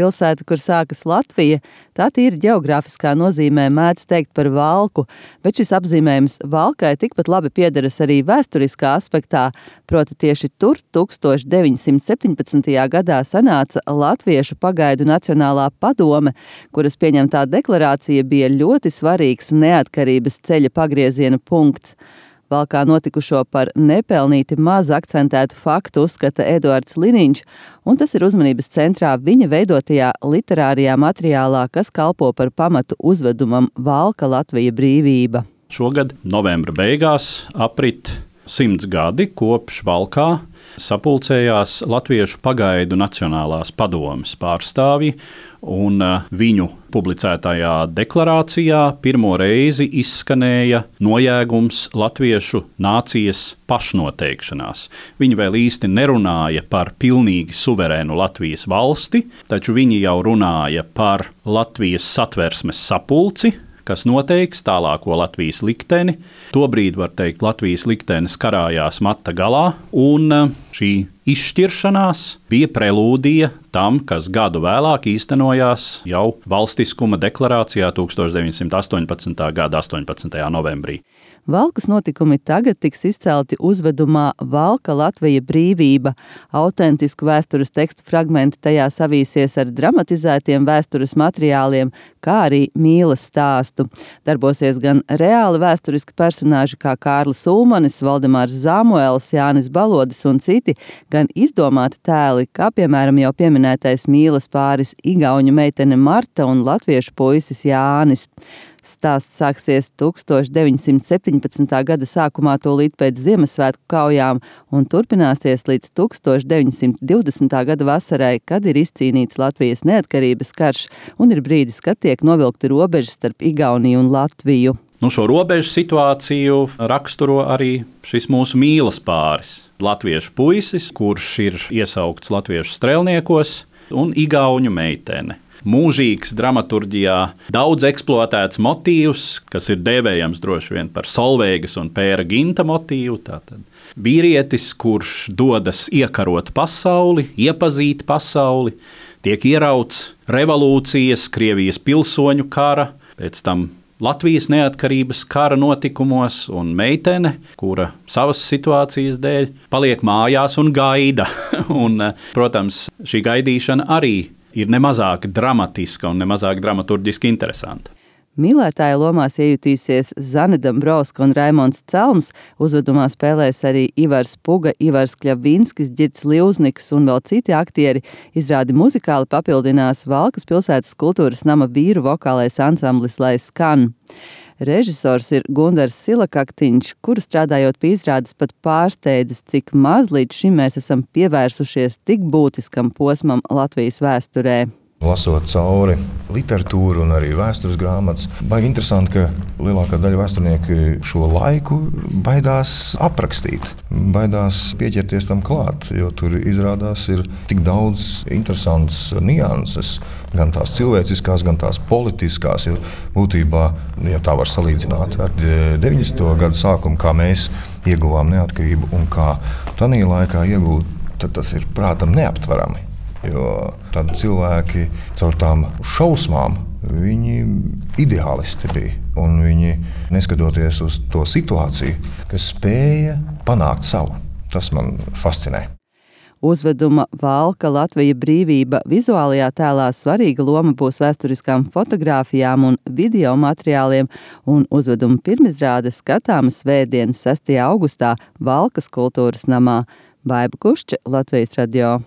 pilsēta, kur sākas Latvija, tā tīri ģeogrāfiskā nozīmē mēdz teikt par Valku, bet šis apzīmējums Valkai tikpat labi piederas arī vēsturiskā aspektā, proti tieši tur 1917. gadā sanāca Latviešu pagaidu Nacionālā padome, kuras pieņemtā deklarācija bija ļoti svarīgs neatkarības ceļa pagrieziena punkts. Valkā notikušo par nepelnīti maz akcentētu faktu uzskata Eduards Liniņš, un tas ir uzmanības centrā viņa veidotajā literārijā materiālā, kas kalpo par pamatu uzvedumam Valka Latvija brīvība. Šogad novembra beigās aprit 100 gadi kopš Valkā sapulcējās Latviešu pagaidu Nacionālās padomes pārstāvji, un viņu publicētajā deklarācijā pirmo reizi izskanēja nojēgums latviešu nācijas pašnoteikšanās. Viņi vēl īsti nerunāja par pilnīgi suverēnu Latvijas valsti, taču viņi jau runāja par Latvijas satversmes sapulci, kas noteiks tālāko Latvijas likteni. Tobrīd, var teikt, Latvijas liktenis karājās mata galā, un šī izšķiršanās bija prelūdija tam, kas gadu vēlāk īstenojās jau valstiskuma deklarācijā 1918. gada 18. novembrī. Valkas notikumi tagad tiks izcelti uzvedumā Valka Latvija brīvība. Autentisku vēstures tekstu fragmenti tajā savīsies ar dramatizētiem vēstures materiāliem, kā arī mīlas stāstu. Darbosies gan reāli vēsturiski personāži kā Kārlis Ulmanis, Valdemārs Zamuēls, Jānis Balodis un citi, gan izdomāti tēli, kā piemēram jau pieminētais mīlas pāris igauņu meitene Marta un latviešu puisis Jānis. Stāsts sāksies 1917. gada sākumā tūlīt pēc Ziemassvētku kaujām un turpināsies līdz 1920. gada vasarai, kad ir izcīnīts Latvijas neatkarības karš un ir brīdis, kad tiek novilkti robežas starp Igauniju un Latviju. Šo robežu situāciju raksturo arī šis mūsu mīlas pāris. Latviešu puisis, kurš ir iesaukts latviešu strēlniekos, un igauņu meitene. Mūžīgs dramaturģijā daudz eksploatēts motīvs, kas ir dēvējams droši vien par Solveigas un Pēra Ginta motīvu. Tātad vīrietis, kurš dodas iekarot pasauli, iepazīt pasauli, tiek ierauts revolūcijas, Krievijas pilsoņu kara, pēc tam Latvijas neatkarības kara notikumos, un meitene, kura savas situācijas dēļ paliek mājās un gaida. Un, protams, šī gaidīšana arī ir nemazāk dramatiska un nemazāk dramaturģiski interesanta. Mīlētāja lomās iejutīsies Zane Dambrovska un Raimonds Celms, uzvedumā spēlēs arī Ivars Puga, Ivars Kļavinskis, Ģirds Livzniks un vēl citi aktieri. Izrādi muzikāli papildinās Valkas pilsētas kultūras nama vīru vokālais ansamblis Lai skan. Režisors ir Gundars Silakaktiņš, kuru strādājot pie izrādes pat pārsteidzas, cik maz līdz šim mēs esam pievērsušies tik būtiskam posmam Latvijas vēsturē. Lasot cauri literatūru un arī vēstures grāmatas, baigi interesanti, ka lielākā daļa vēsturnieku šo laiku baidās aprakstīt, baidās pieķerties tam klāt, jo tur izrādās ir tik daudz interesants nianses, gan tās cilvēciskās, gan tās politiskās, jo būtībā, ja tā var salīdzināt ar 90. gadu sākumu, kā mēs ieguvām neatkarību un kā tanī laikā iegūt, tad tas ir prātam neaptverami. Jo tad cilvēki caur tām šausmām, viņi ideālisti bija. Un viņi, neskatoties uz to situāciju, kas spēja panākt savu. Tas man fascinē. Uzveduma Valka Latvija brīvība vizuālajā tēlā svarīga loma būs vēsturiskām fotogrāfijām un video materiāliem, un uzveduma pirmizrāde skatāma svētdien 6. augustā Valkas kultūras namā. Baiba Kušča, Latvijas radio.